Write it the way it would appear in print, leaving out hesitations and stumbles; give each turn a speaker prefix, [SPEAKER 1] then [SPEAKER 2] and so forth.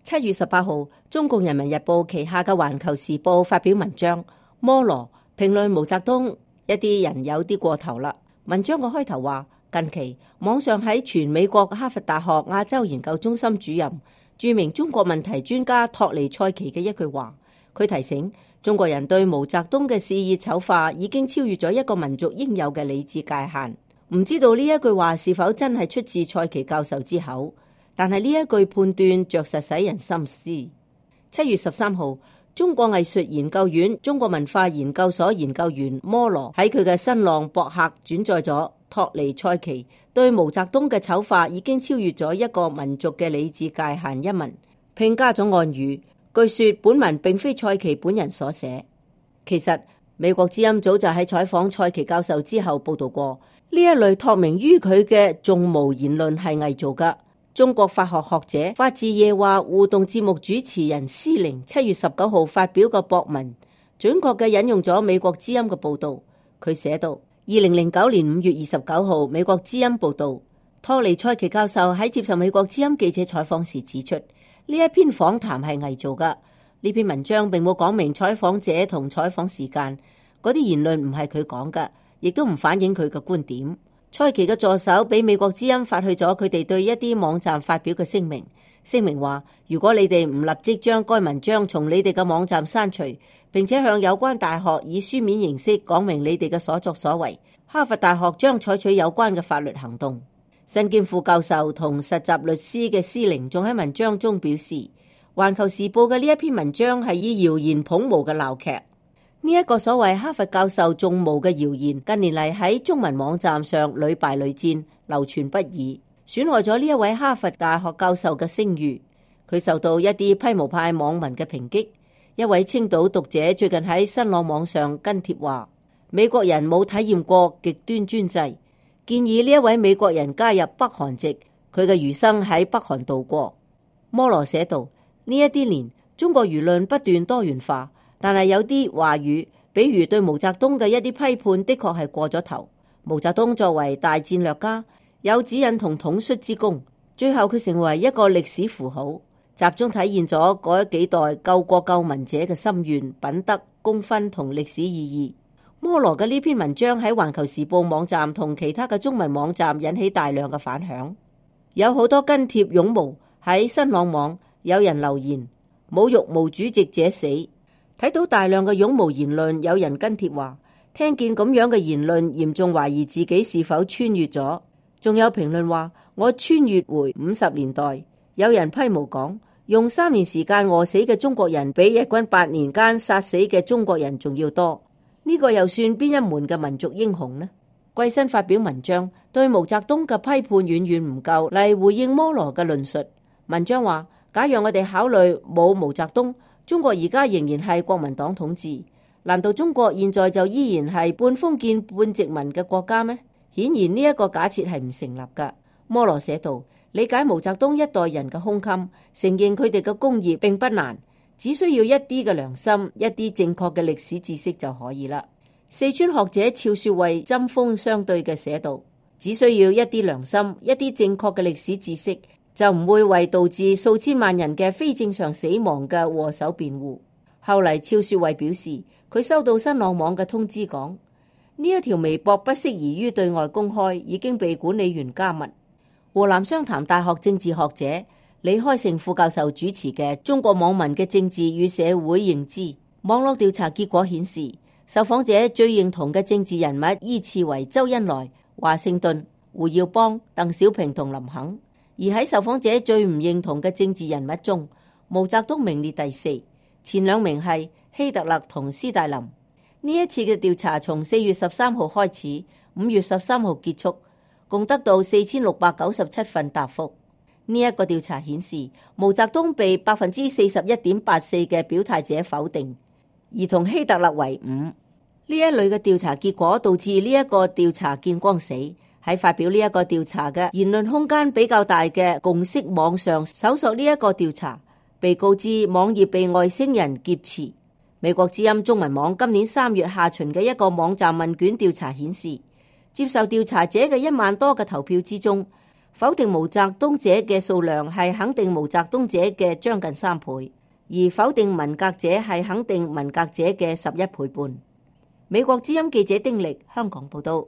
[SPEAKER 1] 7月18號，中共人民日報旗下嘅環球時報發表文章，摩羅評論毛澤東一啲人有啲過頭啦。文章個開頭話，近期網上喺全美國哈佛大學亞洲研究中心主任、著名中國問題專家托尼塞奇嘅一句話，佢提醒中國人對毛澤東嘅肆意醜化已經超越咗一個民族應有嘅理智界限。唔知道呢一句話是否真係出自塞奇教授之口，但係呢一句判斷着實使人深思。7月13號，中國藝術研究院中國文化研究所研究員摩羅喺佢嘅新浪博客轉載咗托尼塞奇對毛澤東嘅醜化已經超越咗一個民族嘅理智界限一文，並加咗暗語。據說本文並非塞奇本人所寫。其實美國之音早就喺採訪塞奇教授之後報道過，呢一類託名於佢嘅縱無言論係偽造㗎。中國法學學者法治夜話互動節目主持人施寧7月19號發表個博文，準確嘅引用咗美國之音嘅報道。佢寫道：2009年5月29號，美國之音報道，托尼塞奇教授喺接受美國之音記者採訪時指出，呢一篇訪談係偽造㗎。呢篇文章並冇講明採訪者同採訪時間，嗰啲言論唔係佢講㗎，亦都唔反映佢嘅觀點。塞奇嘅助手俾美國之音發去咗佢哋對一啲網站發表嘅聲明話，如果你哋唔立即將該文章從你哋嘅網站刪除，並且向有關大學以書面形式講明你哋嘅所作所為，哈佛大學將採取有關嘅法律行動。身兼副教授同實習律師嘅施寧仲喺文章中表示，環球時報嘅呢一篇文章係以謠言捧毛嘅鬧劇。呢一個所謂哈佛教授縱毛嘅謠言，近年嚟喺中文網站上屢敗屢戰，流傳不已，損害咗呢一位哈佛大學教授嘅聲譽。佢受到一啲批無派網民嘅抨擊。一位青島讀者最近喺新浪網上跟帖話，美國人冇體驗過極端專制，建議呢一位美國人加入北韓籍，佢嘅餘生喺北韓度過。摩羅寫道：呢一啲年，中國輿論不斷多元化。但係有啲話語，比如對毛澤東嘅一啲批判，的確係過咗頭。毛澤東作為大戰略家，有指引同統率之功，最後佢成為一個歷史符號，集中體現咗嗰幾代救國救民者嘅心願、品德、功勳同歷史意義。摩羅嘅呢篇文章喺環球時報網站同其他嘅中文網站引起大量嘅反響，有好多跟帖擁毛。喺新浪網有人留言侮辱毛主席者死。睇到大量嘅擁毛言論，有人跟帖話，聽見咁樣嘅言論，嚴重懷疑自己是否穿越咗。仲有評論話，我穿越回50年代。有人批毛講，用3年時間餓死嘅中國人，比日軍8年間殺死嘅中國人仲要多。呢個又算邊一門嘅民族英雄呢？季新發表文章，對毛澤東嘅批判遠遠唔夠嚟回應摩羅嘅論述。文章話，假如我哋考慮冇毛澤東，中國而家仍然係國民黨統治，難道中國現在就依然係半封建半殖民嘅國家咩？顯然呢一個假設係唔成立㗎。摩羅寫道，理解毛澤東一代人嘅胸襟，承認佢哋嘅功業並不難，只需要一啲嘅良心，一啲正確嘅歷史知識就可以啦。四川學者趙雪慧針鋒相對嘅寫道，只需要一啲良心，一啲正確嘅歷史知識，就唔會為導致數千萬人嘅非正常死亡嘅禍首辯護。後嚟趙雪慧表示，佢收到新浪網嘅通知講，呢一條微博不適宜於對外公開，已經被管理員加密。湖南湘潭大學政治學者李開成副教授主持嘅中國網民嘅政治與社會認知網絡調查結果顯示，受訪者最認同嘅政治人物依次為周恩來、華盛頓、胡耀邦、鄧小平同林肯。而喺受訪者最唔認同嘅政治人物中，毛澤東名列第4，前2名係希特勒同斯大林。呢一次嘅調查從4月13號開始，5月13號結束，共得到4697份答覆。呢一個調查顯示，毛澤東被41.84%嘅表態者否定，而同希特勒為伍。呢一類嘅調查結果導致呢一個調查見光死。喺發表呢一個調查嘅言論空間比較大嘅共識網上搜索呢一個調查，被告知網頁被外星人劫持。美國之音中文網今年3月下旬嘅一個網站問卷調查顯示，接受調查者嘅1萬多嘅投票之中，否定毛澤東者嘅數量係肯定毛澤東者嘅將近3倍，而否定文革者係肯定文革者嘅11倍半。美國之音記者丁力香港報道。